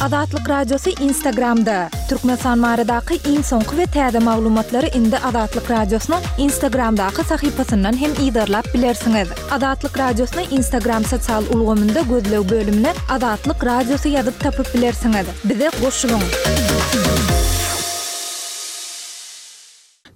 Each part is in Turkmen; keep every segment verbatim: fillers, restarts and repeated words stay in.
Azatlyk Radiosy Instagramda. Türkmenistan baradaky iň soňky we täze maglumatlary indi Azatlyk Radiosynyň Instagramdaky sahypasyndan hem yzarlap bilersiňiz. Azatlyk Radiosyny Instagram sosial ulgamynda gözleg bölümine Azatlyk Radiosy ýazyp tapyp bilersiňiz. Bize goşulyň.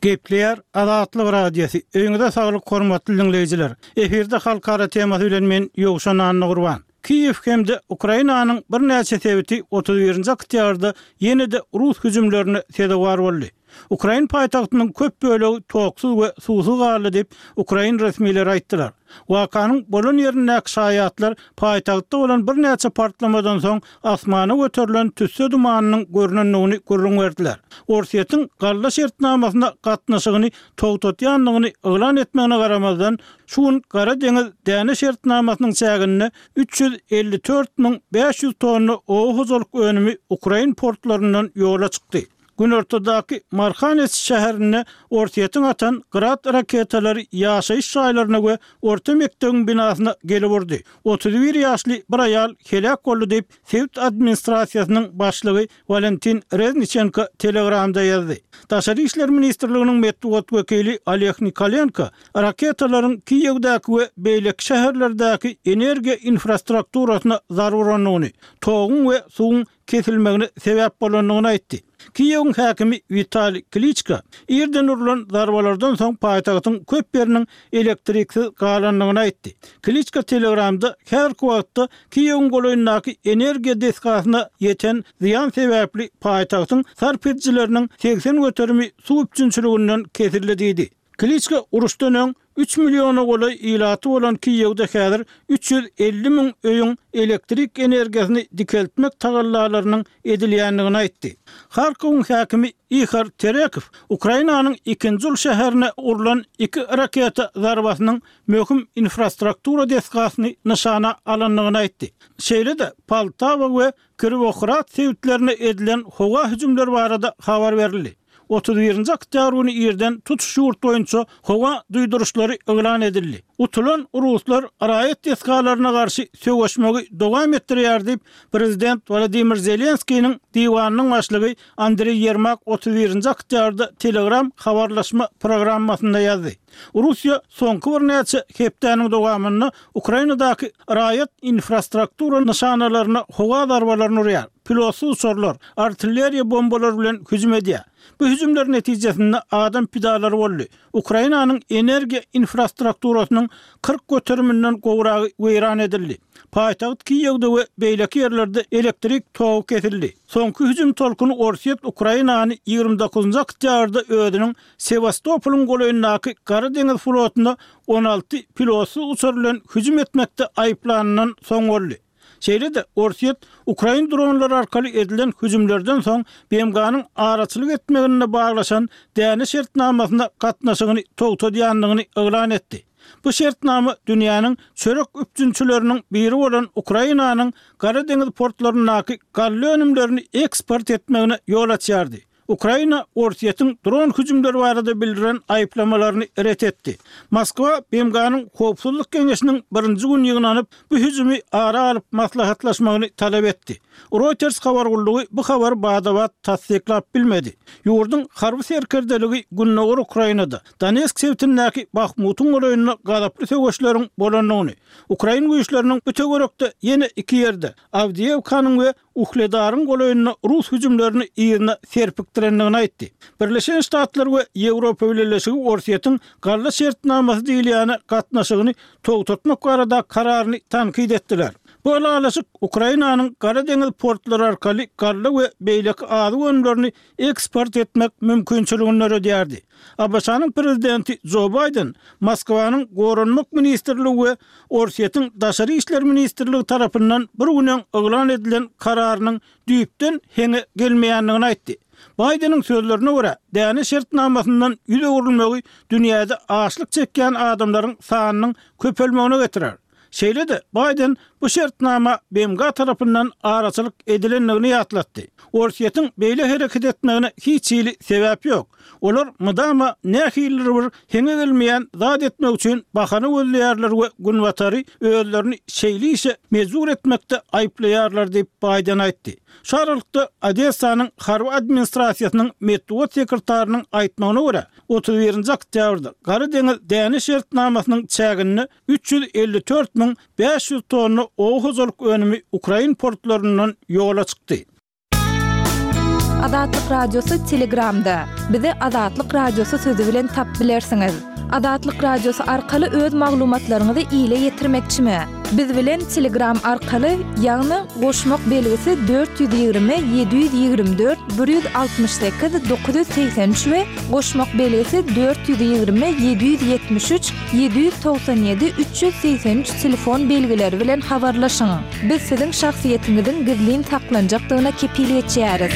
Gepleýär Azatlyk Radiosy. Öýüňize saglyk hormatly dinleýjiler. Efirde halkara temasy bilen men Ýowşan Annagurban. Kiýew hem-de Ukrainanyň birnäçe sebiti otuz birinji oktýabrda ýene-de rus hüjümlerine sezewar boldy. Ukrain paýtagtynyň köp bölegi toksuz we suwsuz galdy diýip, ukrain resmileri aýtdylar. Wakanyň bolan ýerindäki şaýatlar paýtagtda bolan birnäçe partlamadan soň asmana göterilen tüsse dumanynyň görnendigini gürrüň berdiler. Orsýetiň galla şertnamasyna gatnaşygyny togtatýandygyny yglan etmegine garamazdan, şu gün Gara deňiz däne şertnamasynyň çäginde üç ýüz elli dört müň bäş ýüz tonna oba hojalyk önümi ukrain portlaryndan ýola çykdy. Günortadaky Marhanes şäherinde Orsýetiň atan Grad raketalary ýaşaýyş jaýlaryna we orta mekdebiň binasyna gelip urdy. Otuz bir ýaşly bir aýal heläk boldy diýip, sebit administrasiýasynyň başlygy Walentin Rezniçenko Telegramda ýazdy. Daşary işler ministrliginiň metbugat wekili Oleg Nikolenko raketalaryň Kiýewdäki we beýleki şäherlerdäki energiýa infrastrukturasyna zarba urandygyny, toguň we suwuň kesilmegine sebäp bolandygyny aýtdy. Kiýewiň häkimi Witaliý Kliçko irden urlan zarbalardan soň paýtagtyň köp ýeriniň elektriksiz galandygyny aýtdy. Kliçko Telegramda häzirki wagtda Kiýewiň golaýyndaky energiýa desgasyna ýeten zyýan sebäpli paýtagtyň sarp edijileriniň segsen göterimi suw üpjünçiliginden kesildi diýdi. Kliçko uruşdan öň üç milliona golaý ilaty bolan Kiýewde häzir üç ýüz elli müň öýüň elektrik energiýasyny dikeltmek tagallalarynyň edilýändigini aýtdy. Harkowyň häkimi Ihor Terekow Ukrainanyň ikinji uly şäherine urlan iki raketa zarbasynyň möhüm infrastruktura desgasyny nyşana alandygyny aýtdy. Şeýle-de Poltawa we Kirowohrad sebitlerine edilen howa hüjümleri barada habar berildi. Otuz birinji oktýabr güni irden tutuş ýurt boýunça howa duýduryşlary yglan edildi. Utulan ruslar raýat desgalaryna garşy söweşmegi dowam etdirýär diýip, prezident Wladimir Zelenskiniň diwanynyň başlygy Andreý Ýermak otuz birinji oktýabrda Telegram habarlaşma programmasynda ýazdy. Russiýa soňky birnäçe hepdäniň dowamynda Ukrainadaky raýat infrastruktura nyşanalaryna howa zarbalaryny urýar, pilotsyz uçarlar, artilleriýa bombalary bilen hüjüm edýär. Bu hüjümler netijesinde adam pidalary boldy. Ukrainanyň energiýa infrastrukturasynyň kyrk göteriminden gowragy weýran edildi. Paýtagt Kiýewde we beýleki ýerlerde elektrik togy kesildi. Soňky hüjüm tolkuny Orsýet Ukrainany ýigrimi dokuzynjy oktýabrda özüniň Sewastopolyň golaýyndaky Gara deňiz flotuna on alty pilotsyz uçar bilen hüjüm etmekde aýyplanyndan soň boldy. Şeýle-de Orsýet ukrain dronlary arkaly edilen hüjümlerden soň B M G-nyň araçylyk etmeginde baglaşan däne şertnamasyna gatnaşygyny togtadýandygyny yglan etdi. Bu şertnama dünýäniň çörek üpjünçileriniň biri bolan Ukrainanyň Gara deňiz portlaryndaky galla önümlerini eksport etmegine ýol açýardy. Ukraina Orsýetiň dron hüjümleri barada bildiren aýyplamalaryny ret etdi. Moskwa B M G-nyň Howpsuzlyk Geňeşiniň birinji gün ýygnanyp, bu hüjümi ara alyp maslahatlaşmagyny talap etdi. Reuters habar gullugy bu habary bada-bat tassyklap bilmedi. Ýurduň harby serkerdeligi Gündogar Ukrainada, Donetsk sebitindäki Bahmutyň golaýynda gazaply söweşleriň bolandygyny, ukrain güýçleriniň bu töwerekde ýene iki ýerde, Awdiýewkanyň we Uhledaryň golaýynda rus hüjümlerini yzyna serpikdirendigini aýtdy. Birleşen Ştatlar we Ýewropa Bileleşigi Orsýetiň galla şertnamasy diýilýäne gatnaşygyny togtatmak barada kararyny tankyt etdiler. Bu ylalaşyk Ukrainanyň Gara deňiz portlary arkaly galla we beýleki azyk önümlerini eksport etmek mümkinçiligini döredýärdi. A B Ş-nyň prezidenti Jo Baýden Moskwanyň Goranmak ministrligi we Orsýetiň Daşary işler ministrligi tarapyndan bir gün öň yglan edilen kararynyň düýpden heňe gelmeýändigini aýtdy. Baýdeniň sözlerine görä, däne şertnamasyndan ýüz öwrülmegi dünýäde açlyk çekýän adamlaryň sanynyň köpelmegine getirer. Şeýle-de Baýden Bu şertnama B M G tarapyndan araçylyk edilendigini ýatlatdy. Orsýetiň beýle hereket etmegine hiç hili sebäp ýok. Olar mydama nähilidir bir heňe gelmeýän zat etmek üçin bahana gözleýärler we Günbatary özlerini şeýle işe mejbur etmekde aýyplaýarlar diýip, Baýden aýtdy. Şu aralykda, Odessanyň harby administrasiýasynyň metbugat sekretarynyň aýtmagyna görä, otuz birinji oktýabrda Gara deňiz däne şertnamasynyň çäginde üç ýüz elli dört müň bäş ýüz tonna oba hojalyk önümi ukrain portlaryndan ýola çykdy. Azatlyk Radiosy Telegramda. Bizi Azatlyk Radiosy sözi bilen tap bilersiňiz. Azatlyk Radiosy arkaly öz maglumatlaryňyzy ile ýetirmekçimi? Biz bilen Telegram arkaly, ýagny goşmak belgisi dört ýüz ýigrimi ýedi ýüz ýigrimi dört bir ýüz altmyş sekiz dokuz ýüz segsen üç we goşmak belgisi dört ýüz ýigrimi ýedi ýüz ýetmiş üç ýedi ýüz togsan ýedi üç ýüz segsen üç telefon belgileri bilen habarlaşyň. Biz siziň şahsyýetiňiziň gizlin saklanjakdygyna kepil geçýäris.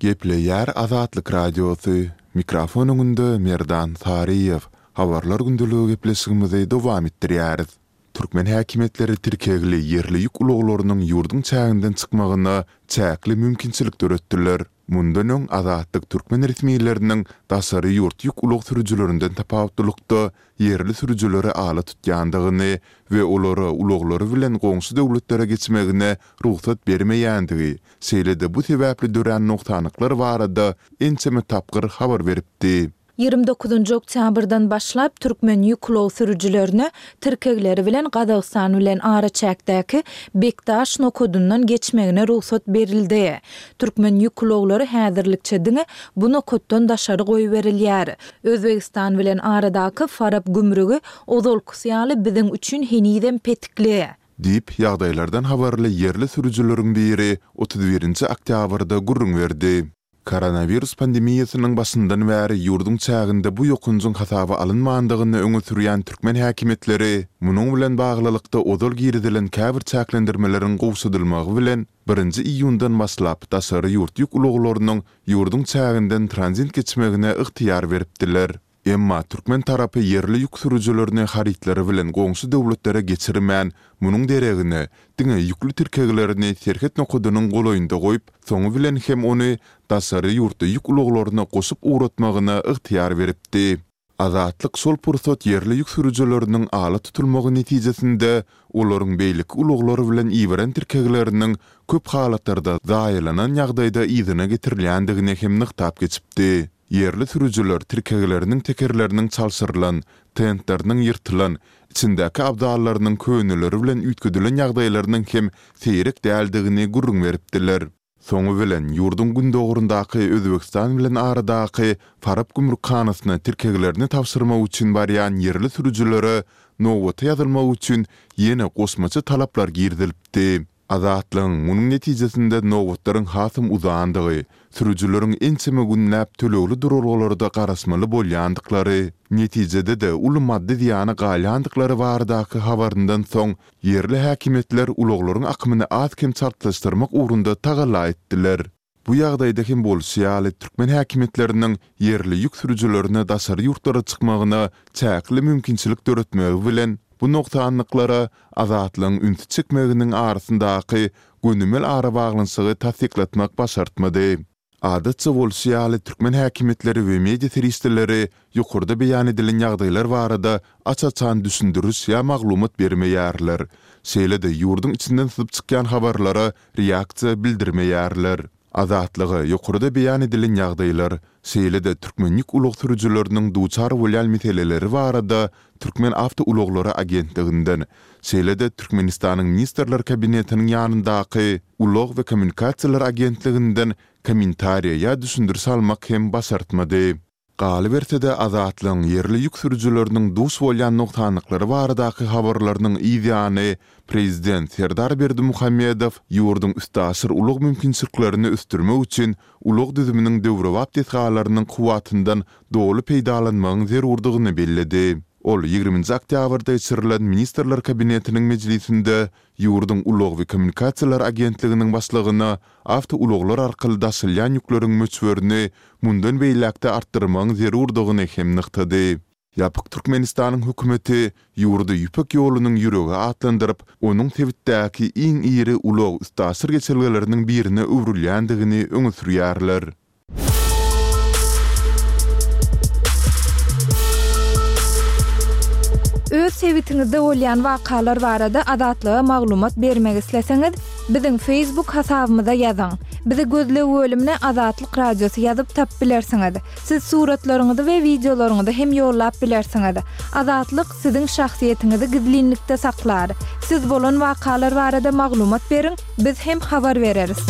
Gepleýär Azatlyk Radiosy, mikrofon öňünde Merdan Saryýew. Habarlar gündeligi gepleşigimizi dowam etdirýäris. Türkmen häkimiýetleri tirkegli ýerli ýük ulaglarynyň ýurduň çäginden çykmagyna çäkli mümkinçilik döretdiler. Mundan öň Azatlyk türkmen resmileriniň daşary ýurt ýük ulag sürüjilerinden tapawutlylykda ýerli sürüjileri ala tutýandygyny we olara ulaglary bilen goňşy döwletlere geçmegine rugsat bermeýändigi, şeýle-de bu sebäpli dörän nogsanlyklar barada ençeme tapgyr habar beripdi. Ýigrimi dokuzynjy oktýabrdan başlap türkmen ýük ulag sürüjilerine tirkegleri bilen Gazagystan bilen araçäkdäki Bekdaş nokadyndan geçmegine rugsat berildi. Türkmen ýük ulaglary häzirlikçe diňe bu nokatdan daşary goýberilýär. Özbegistan bilen aradaky Farap gümrügi ozalkysy ýaly biziň üçin henizem petikli. Diýip, ýagdaýlardan habarly ýerli sürüjileriň biri otuz birinji oktýabrda gürrüň berdi. Koronawirus pandemiýasynyň başyndan bäri ýurduň çäginde bu ýokanjyň hasaba alynmandygyny öňe sürýän türkmen häkimiýetleri munuň bilen baglylykda ozal girizilen käbir çäklendirmeleriň gowşadylmagy bilen birinji iýundan başlap daşary ýurt ýük ulaglarynyň ýurduň çäginden tranzit geçmegine ygtyýar beripdiler. Emma türkmen tarapy ýerli ýük sürüjilerini harytlary bilen goňşy döwletlere geçirmän, munuň deregine diňe ýükli tirkeglerini serhet nokadynyň golaýynda goýup, soňy bilen hem ony daşary ýurtda ýük ulaglaryna goşup ugratmagyna ygtyýar beripdi. Azatlyk şol pursat ýerli ýük sürüjileriniň ala tutulmagy netijesinde olaryň beýleki ulaglar bilen iberen tirkegleriniň köp halatlarda zaýalanan ýagdaýda yzyna getirilýändigini hem nygtap geçipdi. Ýerli sürüjiler tirkegleriniň tekerleriniň çalşyrylan, tentleriniň ýyrtylan, içindäki abzallarynyň köneleri bilen üýtgedilen ýagdaýlarynyň hem seýrek däldigini gürrüň beripdiler. Soňy bilen ýurduň gündogaryndaky Özbegistan bilen aradaky Farap gümrükhanasyna tirkeglerini tabşyrmak üçin barýan ýerli sürüjilere nobata ýazylmak üçin ýene goşmaça talaplar girizilipdi. Azatlygyň munuň netijesinde nobatlaryň hasam uzandygy, sürüjileriň ençeme günläp tölegli duralgalarda garaşmaly bolýandyklary, netijede-de uly maddy zyýana galýandyklary baradaky habaryndan soň ýerli häkimiýetler ulaglaryň akymyny az-kem çaltlaşdyrmak ugrunda tagalla etdiler. Bu ýagdaýda hem bolşy ýaly, türkmen häkimiýetleriniň ýerli ýük sürüjilerine daşary ýurtlara çykmagyna çäkli mümkinçilik döretmegi bilen bu nogsanlyklara Azatlygyň ünsi çekmeginiň arasyndaky gönümel arabaglanyşygy tassyklatmak başartmady. Adatça bolşy ýaly, türkmen häkimiýetleri we media serişdeleri ýokarda beýan edilen ýagdaýlar barada aç-açan düşündiriş ýa maglumat bermeýärler. Şeýle-de ýurduň içinden syzyp çykýan habarlara reaksiýa bildirmeýärler. Azatlyga ýokarda beýan edilen ýagdaýlar, şeýle-de türkmen ýük ulag sürüjileriniň duçar bolýan meseleleri barada Türkmenawtoulaglary agentliginden, şeýle-de Türkmenistanyň Ministrler Kabinetiniň ýanyndaky Ulag we kommunikasiýalar agentliginden kommentariýa ýa düşündiriş almak hem başartmady. Galyberse-de, Azatlygyň ýerli ýük sürüjileriniň duş bolýan nogsanlyklary baradaky habarlarynyň yz ýany, prezident Serdar Berdimuhamedow ýurduň üstaşyr ulag mümkinçiliklerini ösdürmek üçin ulag düzüminiň döwrebap desgalarynyň kuwwatyndan doly peýdalanmagyň zerurdygyny belledi. Ol ýigriminji oktýabrda geçirilen Ministrler Kabinetiniň mejlisinde ýurduň Ulag we kommunikasiýalar agentliginiň başlygyna awtoulaglar arkaly daşalýan ýükleriň möçberini mundan beýläk-de artdyrmagyň zerurdygyny hem nygtady. Ýapyk Türkmenistanyň hökümeti ýurdy Ýüpek ýolunyň ýüregi atlandyryp, onuň sebitdäki iň iri ulag-üstaşyr geçelgeleriniň birine öwrülýändigini öňe sürýärler. Öz sebitiňizde bolýan wakalar barada Azatlyga maglumat bermek isleseňiz, biziň Facebook hasabymyza ýazyň. Bizi gözleg bölümine Azatlyk Radiosy ýazyp tapyp bilersiňiz. Siz suratlaryňyzy we wideolaryňyzy hem ýollap bilersiňiz. Azatlyk siziň şahsyýetiňizi gizlinlikde saklar. Siz bolan wakalar barada maglumat beriň, biz hem habar bereris.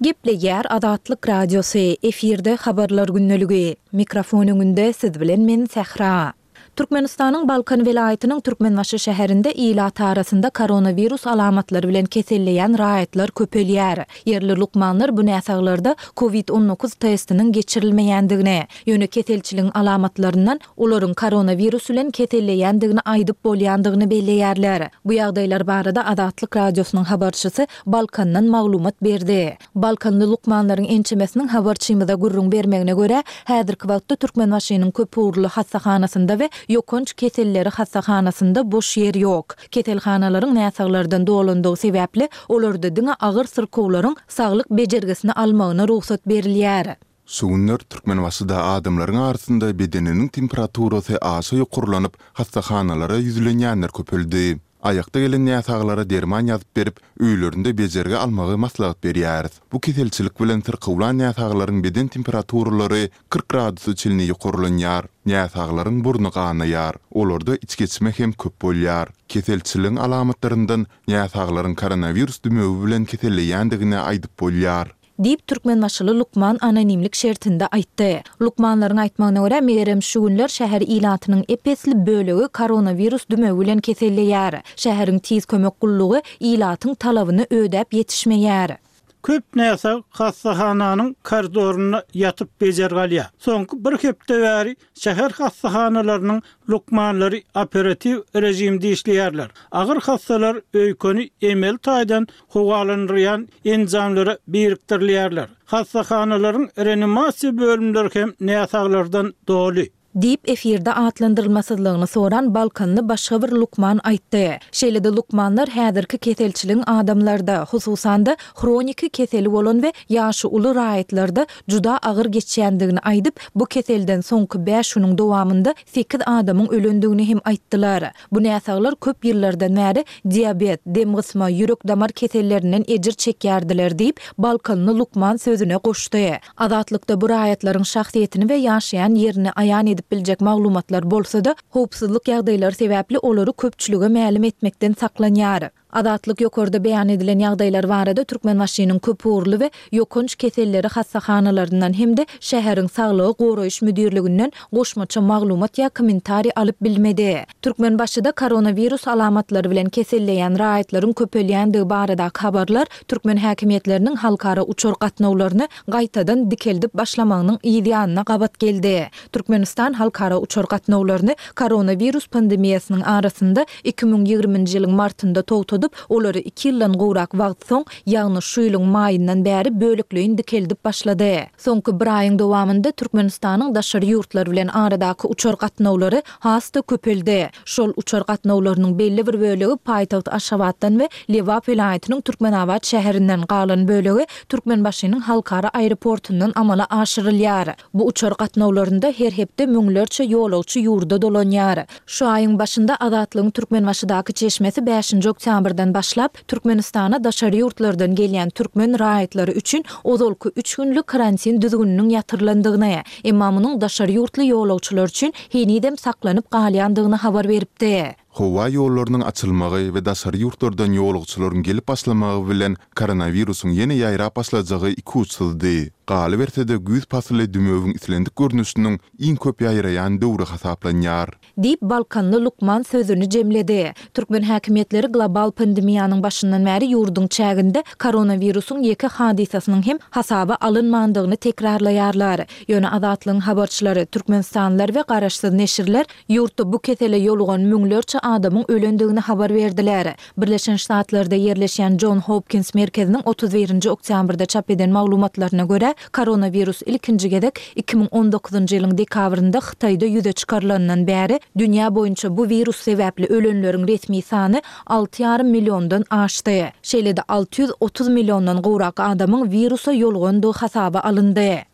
Gepleýär Azatlyk Radiosy, efirde Habarlar gündeligi. Mikrofon öňünde siz bilen men Sähra. Türkmenistanyň Balkan welaýatynyň Türkmenbaşy şäherinde ilat arasynda koronawirus alamatlary bilen keselleýän raýatlar köpelýär. Ýerli lukmanlar bu näsaglarda Covid on dokuz testiniň geçirilmeýändigini, ýöne keselçiligiň alamatlaryndan olaryň koronawirus bilen keselleýändigini aýdyp bolýandygyny belleýärler. Bu ýagdaýlar barada Azatlyk Radiosynyň habarçysy Balkandan maglumat berdi. Balkanly lukmanlaryň ençemesiniň habarçymyza gürrüň bermegine görä, häzirki wagtda Türkmenbaşynyň köpugurly hassahanasynda we ýokanç keselleri hassahanasynda boş ýer ýok. Keselhanalaryň näsaglardan dolandygy sebäpli olarda diňe agyr syrkawlaryň saglyk bejergisini almagyna rugsat berilýär. Şu günler Türkmenbaşyda adamlaryň arasynda bedeniniň temperaturasy aşa ýokarlanyp, hassahanalara ýüzlenýänler köpeldi. Aýakda gelen näsaglara derman ýazyp berip, öýlerinde bejergi almagy maslahat berýäris. Bu keselçilik bilen syrkawlan näsaglaryň beden temperaturalary kyrk gradusa çenli ýokarlanýar. Näsaglaryň burny ganaýar. Olarda içgeçme hem köp bolýar. Keselçiligiň alamatlaryndan näsaglaryň koronawirus dümewi bilen keselleýändigini aýdyp bolýar. Diýip, türkmenbaşyly lukman anonimlik şertinde aýtdy. Lukmanlaryň aýtmagyna görä, megerem şu günler şäher ilatynyň ep-esli bölegi koronawirus dümewi bilen keselleýär. Şäheriň tiz kömek gullugy ilatyň talabyny ödäp ýetişmeýär. Köp näsag hassahananyň koridorynda ýatyp bejergi alýar. Soňky bir hepde bäri şäher hassahanalarynyň lukmanlary operatiw rejimde işleýärler. Agyr hassalar öýkeni emeli taýdan howalandyrýan enjamlara birikdirilýärler. Hassahanalaryň reanimasiýa bölümleri hem näsaglardan doly. Diýip, efirde atlandyrylmasyzlygyny soran Balkanly başga bir lukman aýtdy. Şeýle-de lukmanlar häzirki keselçiligiň adamlarda, hususan-da hroniki keseli bolan we ýaşy uly raýatlarda juda agyr geçýändigini aýdyp, bu keselden soňky bäş günüň dowamynda sekiz adamyň ölendigini hem aýtdylar. Bu näsaglar köp ýyllardan bäri diabet, dem gysma, ýürek-damar kesellerinden ejir çekýärdiler diýip, Balkanly lukman sözüne goşdy. Azatlykda bu raýatlaryň şahsyýetini we ýaşaýan ýerini aýan edip biljek maglumatlar bolsa-da, howpsuzlyk ýagdaýlary sebäpli olary köpçülige mälim etmekden saklanýar. Azatlyk ýokarda beýan edilen ýagdaýlar barada Türkmenbaşynyň köpugurly we ýokanç keselleri hassahanalaryndan hem-de şäheriň saglygy goraýyş müdirliginden goşmaça maglumat ýa kommentariý alyp bilmedi. Türkmenbaşyda koronawirus alamatlary bilen keselleýän raýatlaryň köpelýändigi baradaky habarlar türkmen häkimiýetleriniň halkara uçar gatnawlaryny gaýtadan dikeldip başlamagynyň yz ýanyna gabat geldi. Türkmenistan halkara uçar gatnawlaryny koronawirus pandemiýasynyň arasynda iki müň ýigriminji ýylyň martynda togtadyp, olary iki ýyldan gowrak wagt soň, ýagny şu ýylyň maýyndan bäri bölekleýin dikeldip başlady. Soňky bir aýyň dowamynda Türkmenistanyň daşary ýurtlar bilen aradaky uçar gatnawlary has-da köpeldi. Şol uçar gatnawlarynyň belli bir bölegi paýtagt Aşgabatdan we Lebap welaýatynyň Türkmenabat şäherinden, galan bölegi Türkmenbaşynyň halkara aeroportundan amala aşyrylýar. Bu uçar gatnawlarynda her hepde müňlerçe ýolagçy ýurda dolanýar. Şu aýyň başynda Azatlygyň Türkmenbaşydaky çeşmesi bäşinji oktýabrdan başlap, Türkmenistana daşary ýurtlardan gelýän türkmen raýatlary üçin ozalky üç günlük karantin düzgüniniň ýatyrylandygyny, emma munuň daşary ýurtly ýolagçylar üçin henizem saklanyp galýandygyny habar beripdi. Howa ýollarynyň açylmagy we daşary ýurtlardan ýolagçylaryň gelip başlamagy bilen koronawirusyň ýene ýaýrap başlajagy ikuçsuzdy. Galyberse-de güýz pasyly dümewiň islendik görnüşiniň iň köp ýaýraýan döwri hasaplanýar. Diýip, Balkanly lukman sözüni jemledi. Türkmen häkimiýetleri global pandemiýanyň başyndan bäri ýurduň çäginde koronawirusyň ýeke hadysasynyň hem hasaba alynmandygyny tekrarlaýarlar. Ýöne Azatlygyň habarçylary, türkmenistanlylar we garaşsyz neşirler ýurtda bu kesele ýolugan müňlerçe adamyň ölendigini habar berdiler. Birleşen Ştatlarda ýerleşýän Jon Hopkins merkeziniň otuz birinji oktýabrda çap eden maglumatlaryna görä, koronawirus ilkinji gezek iki müň on dokuzynjy ýylyň dekabrynda Hytaýda ýüze çykarylandan bäri dünýä boýunça bu wirus sebäpli ölenleriň resmi sany alty ýarym milliondan aşdy. Şeýle-de alty ýüz otuz milliondan gowrak adamyň wirusa ýolugandygy hasaba alyndy.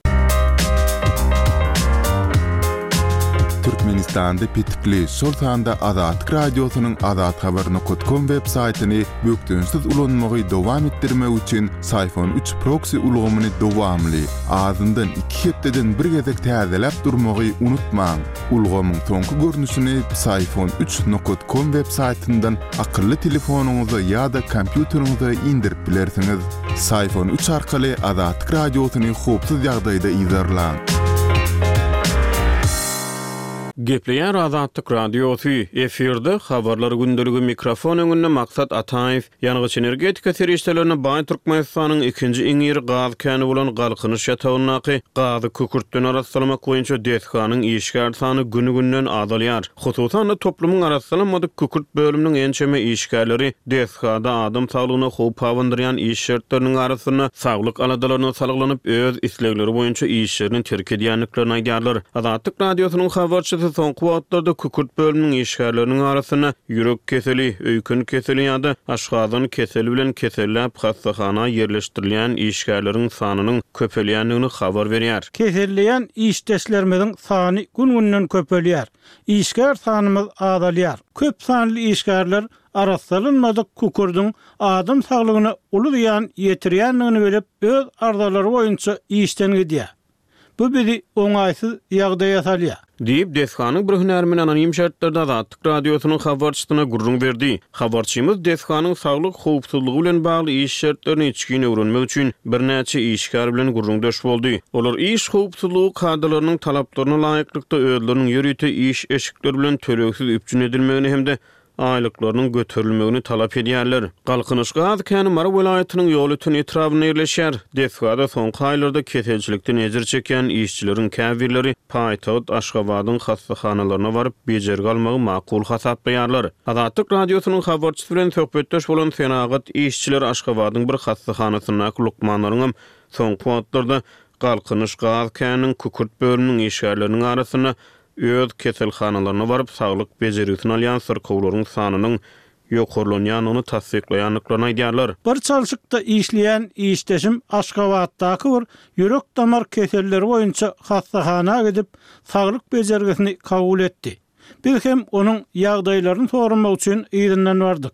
Türkmenistanda petikli, şol sanda Azatlyk Radiosynyň azathabar nokat kom web saýtyny bökdençsiz ulanmagy dowam etdirmek üçin Syfon üç proksi ulgamyny dowamly, azyndan iki hepdeden bir gezek täzeläp durmagy unutmaň. Ulgamyň soňky görnüşini Syfon üç nokat kom web saýtyndan akylly telefonyňyza ýa-da kompýuteriňize indirip bilersiňiz. Syfon üç arkaly Azatlyk Radiosyny howpsuz ýagdaýda yzarlaň. Gepleýär Azatlyk Radiosy, efirde habarlar gündeligi mikrofon öňünde Maksat Ataýew, ýangyç energetika serişdelerini baý Türkmenistanyň ikinji iň iri gaz käni bolan Galkynyş ýatagyndaky gazy kükürtden arassalamak boýunça desganyň işgär sany günü-günden azalýar. Hususan-da toplumyň arassalanmadyk kükürt bölüminiň ençeme işgärleri desgada adam saglygyna howp abandyrýan iş şertleriniň arasynda saglyk aladalaryna salgylanyp öz islegleri boýunça işlerini terk edýändiklerini aýdýarlar. Azatlyk Radiosynyň habarçysy soňky wagtlarda kükürt bölüminiň işgärleriniň arasynda ýürek keseli, öýken keseli ýa-da aşgazan keseli bilen keselläp hassahana ýerleşdirilýän işgärleriň sanynyň köpelýändigini habar berýär. Keselleýän işdeşlerimiziň sany gün-günden köpelýär. Işgär sanymyz azalýar. Köp sanly işgärler arassalanmadyk kükürdüň adam saglygyna uly zyýan ýetirýändigini bilip, öz arzalary boýunça işden gidýär. Bu bizi oňaýsyz ýagdaýa salýar. Diýip, desganyň bir hünärmeni anonim şertlerde Azatlyk Radiosynyň habarçysyna gürrüň berdi. Habarçymyz desganyň saglyk howpsuzlygy bilen bagly iş şertlerini içgin öwrenmek üçin birnäçe işgär bilen gürrüňdeş boldy. Olar iş howpsuzlygy kadalarynyň talaplaryna laýyklykda özleriniň ýörite iş eşikleri bilen tölegsiz üpjün edilmegini hem-de aýlyklarynyň göterilmegini talap edýärler. Galkynyş gaz käni Mary welaýatynyň Ýolöten etrabynda ýerleşýär. Desgada soňky aýlarda keselçilikden ejir çekýän işçileriň käbirleri paýtagt Aşgabadyň hassahanalaryna baryp bejergi almagy makul hasaplaýarlar. Azatlyk Radiosynyň habarçysy bilen söhbetdeş bolan senagat işçileri Aşgabadyň bir hassahanasyndaky lukmanlaryň hem soňky wagtlarda Galkynyş gaz käniniň kükürt bölüminiň işgärleriniň arasynda öz keselhanalaryna baryp saglyk bejergisini alýan syrkawlaryň sanynyň ýokarlanýandygyny tassyklaýandyklaryny aýdýarlar. Bir çalşykda işleýän işdeşim Aşgabatdaky bir ýürek damar keselleri boýunça hassahana gidip saglyk bejergisini kabul etdi. Biz hem onuň ýagdaýlaryny soramak üçin yzyndan bardyk.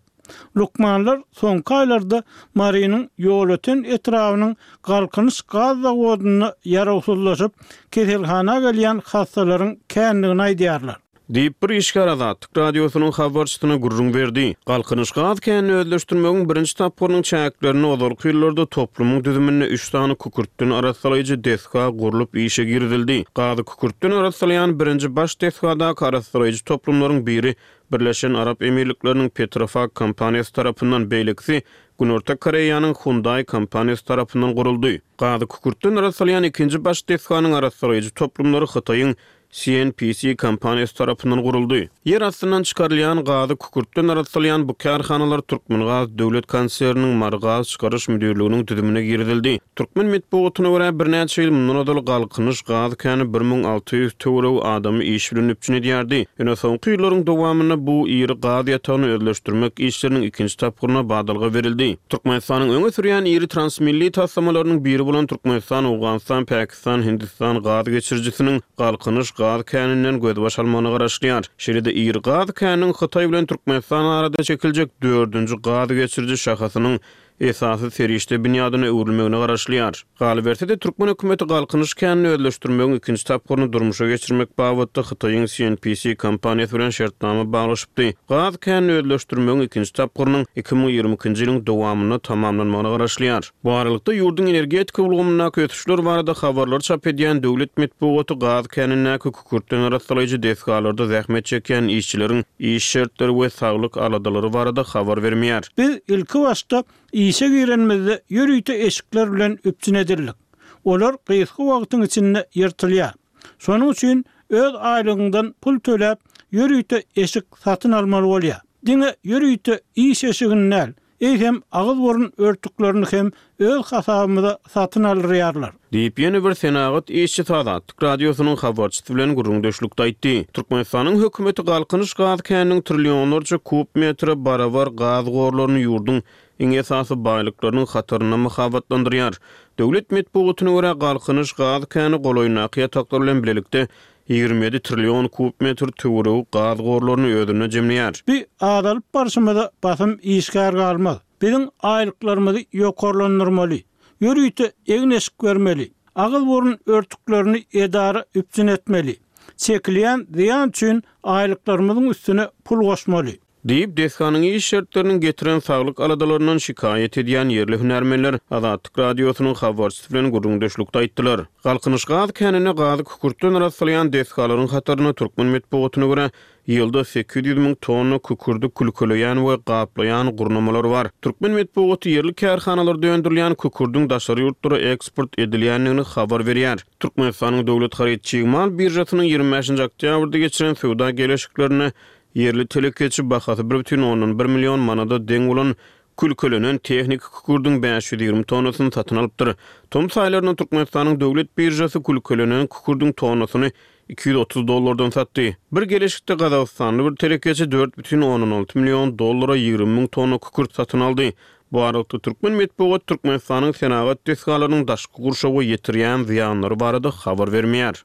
Lukmanlar soňky aýlarda Marynyň Ýolöten etrabynyň Galkynyş gaz zawodynda ýarawsyzlaşyp keselhana gelýän hassalaryň kändigini aýdýarlar. Diýip bir işgär Azatlyk Radiosynyň habarçysyna gürrüň berdi. Galkynyş gaz känini özleşdirmegiň birinji tapgyrynyň çäklerinde ozalky ýyllarda toplumyň düzüminde üç sany kükürtden arassalaýjy desga gurlup işe girizildi. Gazy kükürtden arassalaýan birinji baş desgadaky arassalaýjy toplumlaryň biri Birleşen Arap Emirlikleriniň Petrofac kompaniýasy tarapyndan, beýlekisi Günorta Koreýanyň Hyundai kompaniýasy tarapyndan guruldy. Gazy kükürtden arassalaýan ikinji baş desganyň arassalaýjy toplumlary Hytaýyň C N P C kompaniýasy tarapyndan guruldy. Ýer astyndan çykarylýan gazy kükürtden arassalaýan bu kärhanalar Türkmengaz döwlet konserniniň Mary gaz çykaryş müdirliginiň düzümine girizildi. Türkmen metbugatyna görä birnäçe ýyl mundan ozal Galkynyş gaz käni bir müň alty ýüz töweregi adamy iş bilen üpjün edýärdi. Ýöne soňky ýyllaryň dowamynda bu iri gaz ýatagyny özleşdirmek işleriniň ikinji tapgyryna badalga berildi. Türkmenistanyň öňe sürýän iri transmilli taslamalarynyň biri bolan Türkmenistan, Owganystan, Pakistan, Hindistan gaz geçirijisiniň Galkynyş gaz käninden gözbaş almagyna garaşylýar. Şeýle-de iri gaz käniniň Hytaý bilen Türkmenistan arada çekiljek dördünji gaz geçiriji şahasynyň esasy serişde binýadyna öwrülmegine garaşylýar. Galyberse-de Türkmen hökümeti Galkynyş känini özleşdirmegiň ikinji tapgyryny durmuşa geçirmek babatda Hytaýyň C N P C kompaniýasy bilen şertnama baglaşypdy. Gaz känini özleşdirmegiň ikinji tapgyrynyň iki müň ýigrimi ikinji ýylyň dowamynda tamamlanmagyna garaşylýar. Bu aralykda ýurduň energetika ulgamyndaky ösüşler barada habarlar çap edýän döwlet metbugaty gaz känindäki kükürtden arassalaýjy desgalarda zähmet çekýän işçileriň iş şertleri we saglyk aladalary barada habar bermeýär. Biz ilki başda işe girenimizde ýörite eşikler bilen üpjün edildik. Olar gysga wagtyň içinde ýyrtylýar. Şonuň üçin öz aýlygyňdan pul töläp ýörite eşik satyn almaly bolýar. Diňe ýörite iş eşigini däl, eýsem agyz-burun örtüklerini hem öz hasabymyza satyn aldyrýarlar. Diýip, ýene bir senagat işçisi Azatlyk Radiosynyň habarçysy bilen gürrüňdeşlikde aýtdy. Türkmenistanyň hökümeti Galkynyş gaz käniniň trillionlarça kub metre barabar gaz gorlaryny ýurduň iň esasy baýlyklarynyň hatarynda mahabatlandyrýar. Döwlet metbugatyna görä, Galkynyş gaz käni golaýyndaky ýataklar bilen bilelikde ýigrimi ýedi trillion kub metr töweregi gaz gorlaryny özünde jemleýär. Bi azalyp barşymyza basym işgär galmaz. Biziň aýlyklarymyzy ýokarlandyrmaly, ýörite egin-eşik bermeli, agyz-burun örtüklerini edara üpjün etmeli, çekilýän zyýan üçin aýlyklarymyzyň üstüne pul goşmaly. Diýip, desganyň iş şertleriniň getiren saglyk aladalaryndan şikaýat edýän ýerli hünärmenler Azatlyk Radiosynyň habarçysy bilen gürrüňdeşlikde aýtdylar. Galkynyş gaz käninde gazy kükürtden arassalaýan desgalaryň hatarynda türkmen metbugatyna görä, ýylda sekiz ýüz müň tonna kükürdi külkeleýän we gaplaýan gurnamalar bar. Türkmen metbugaty ýerli kärhanalarda öndürilýän kükürdiň daşary ýurtlara eksport edilýändigini habar berýär. Türkmenistanyň Döwlet haryt çig mal biržasynyň ýigrimi bäşinji oktýabrda geçiren söwda geleşiklerinde ýerli telekeçi bahasy bir bütin ondan bir million manada deň bolan külkelenen tehniki kükürdiň bäş ýüz ýigrimi tonnasyny satyn alypdyr. Tomus aýlarynda Türkmenistanyň döwlet biržasy külkelenen kükürdiň tonnasyny iki ýüz otuz dollardan satdy. Bir geleşikde Gazagystanly bir telekeçi dört bütin ondan alty million dollara ýigrimi müň tonna kükürt satyn aldy. Bu aralykda türkmen metbugat Türkmenistanyň senagat desgalarynyň daşky gurşawa ýetirýän zyýanlary barada habar bermeýär.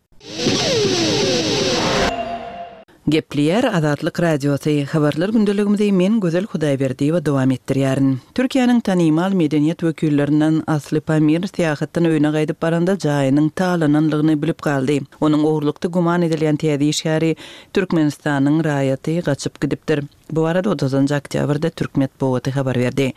Gepleýär Azatlyk Radiosy. Habarlar gündeligimizi men Gözel Hudaýberdiýewa dowam etdirýärin. Türkiýäniň tanymal medeniýet wekillerinden Asly Pamir syýahatdan öýüne gaýdyp baranda jaýynyň talananlygyny bilip galdy. Onuň ogurlykda güman edilýän täze işgäri Türkmenistanyň raýaty gaçyp gidipdir. Bu arada otuzynjy oktýabrda türk metbugaty habar berdi.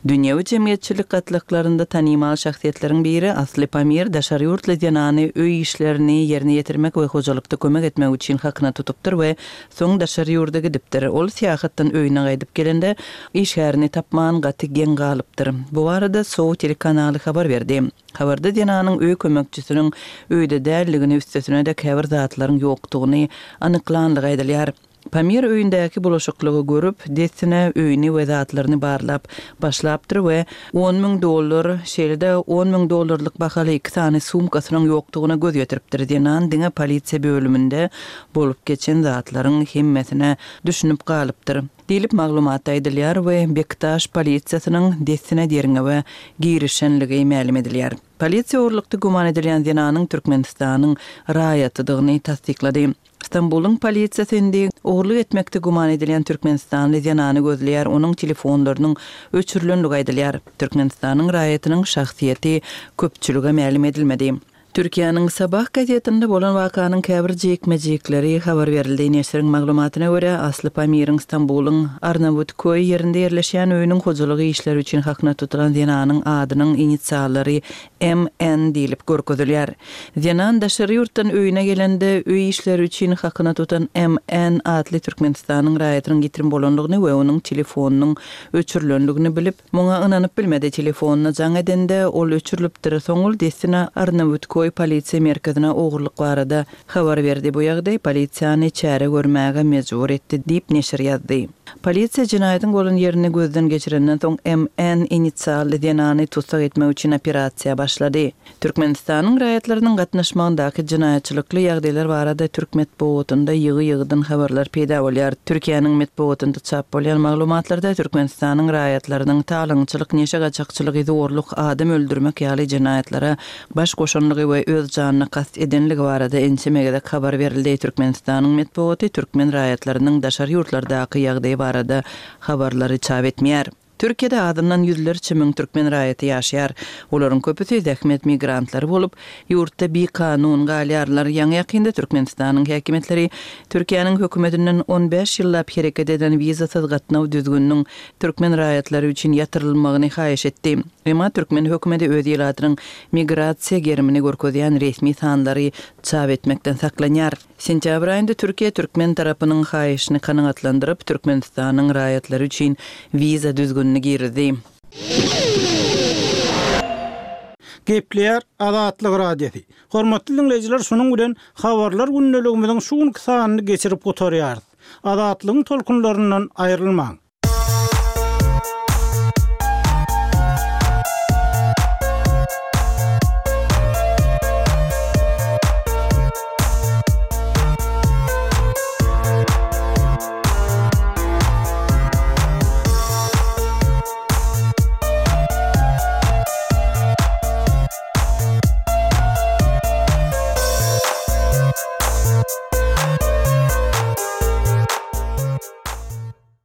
Dünýewi jemgyýetçilik gatlaklarynda tanymal şahsyýetleriň biri Asly Pamir daşary ýurtly zenany öý işlerini ýerine ýetirmek we hojalykda kömek etmek üçin hakyna tutupdyr we soň daşary ýurda gidipdir. Ol syýahatdan öýüne gaýdyp gelende işgärini tapman gaty geň galypdyr. Bu arada Sow telekanaly habar berdi. Habarda zenanyň öý kömekçisiniň öýde däldigini, üstesine de käbir zatlaryň ýokdugyny anyklanlygy aýdylýar. Pamir öýündäki bulaşyklygy görüp, dessine öýüni we zatlaryny barlap başlapdyr we on müň dollar, şeýle-de on müň dollarlyk bahaly iki sany sumkasynyň ýokdugyna göz ýetiripdir. Zenan diňe polisiýa bölüminde bolup geçen zatlaryň hemmesine düşünip galypdyr. Diýlip maglumatda aýdylýar we Bektaş polisiýasynyň dessine derňewe girişenligi mälim edilýär. Polisiýa ogurlykda güman edilýän zenanyň Türkmenistanyň raýatydygyny tassyklady. Stambulyň polisiýasy indi ogurlyk etmekde güman edilýän Türkmenistanly zenany gözleýär, onuň telefonlarynyň öçürilenligi aýdylýar. Türkmenistanyň raýatynyň şahsyýeti köpçülige mälim edilmedi. Türkiýäniň Sabah gazetinde bolan wakanyň käbir jikme-jikleri habar berildi. Neşiriň maglumatyna görä, Asly Pamiriň Stambulyň Arnawutköý ýerinde ýerleşýän öýüniň hojalygy işleri üçin hakyna tutulan zenanyň adynyň inisiallary M N diýlip görkezilýär. Zenan daşary ýurtdan öýüne gelende öý işleri üçin hakyna tutan M N atly Türkmenistanyň raýatynyň ýitirim bolanlygyny we onuň telefonynyň öçürilenligini bilip, muňa ynanyp bilmedi. Telefonyna jaň edende ol öçürilipdir. Soň ol dessine Arnawutköý polisiýa merkezine ogurlyk barada habar berdi. Bu ýagdaý polisiýany çäre görmäge mejbur etdi diýip neşir ýazdy. Polisiýa jenaýatyň bolan ýerini gözden geçirenden soň M N inisially zenany tutsak etmek üçin operasiýa başlady. Türkmenistanyň raýatlarynyň gatnaşmagyndaky jenaýatçylykly ýagdaýlar barada türk metbugatynda ýygy-ýygydan habarlar peýda bolýar. Türkiýäniň metbugatynda çap bolýan maglumatlarda Türkmenistanyň raýatlarynyň talaňçylyk, neşe gaçakçylygy, zorluk, adam öldürmek ýaly jenaýatlara baş goşanlygy we öz janyna kast edenligi barada ençeme gezek habar berildi. Türkmenistanyň metbugaty türkmen raýatlarynyň daşary ýurtlardaky ýagdaýy barada habarlary çap etmeýär. Türkiýede azyndan ýüzlerçe müň türkmen raýaty ýaşaýar. Olaryň köpüsi zähmet migrantlary bolup, ýurtda bikanun galýarlar. Ýaňy ýakynda Türkmenistanyň häkimiýetleri Türkiýäniň hökümetinden on bäş ýyllap hereket eden wizasyz gatnaw düzgüniniň türkmen raýatlary üçin ýatyrylmagyny haýyş etdi. Emma türkmen hökümeti öz ilatynyň migrasiýa gerimini görkezýän resmi sanlary çap etmekden saklanýar. Sentýabr aýynda Türkiýe türkmen tarapynyň haýyşyny kanagatlandyryp, Türkmenistanyň raýatlary üçin wiza düzgünini girizdi. Gepleýär Azatlyk Radiosy. Hormatly dinleýjiler, şunuň bilen habarlar gündeligimiziň şu günki sanyny geçirip gutarýarys. Azatlygyň tolkunlaryndan aýrylmaň.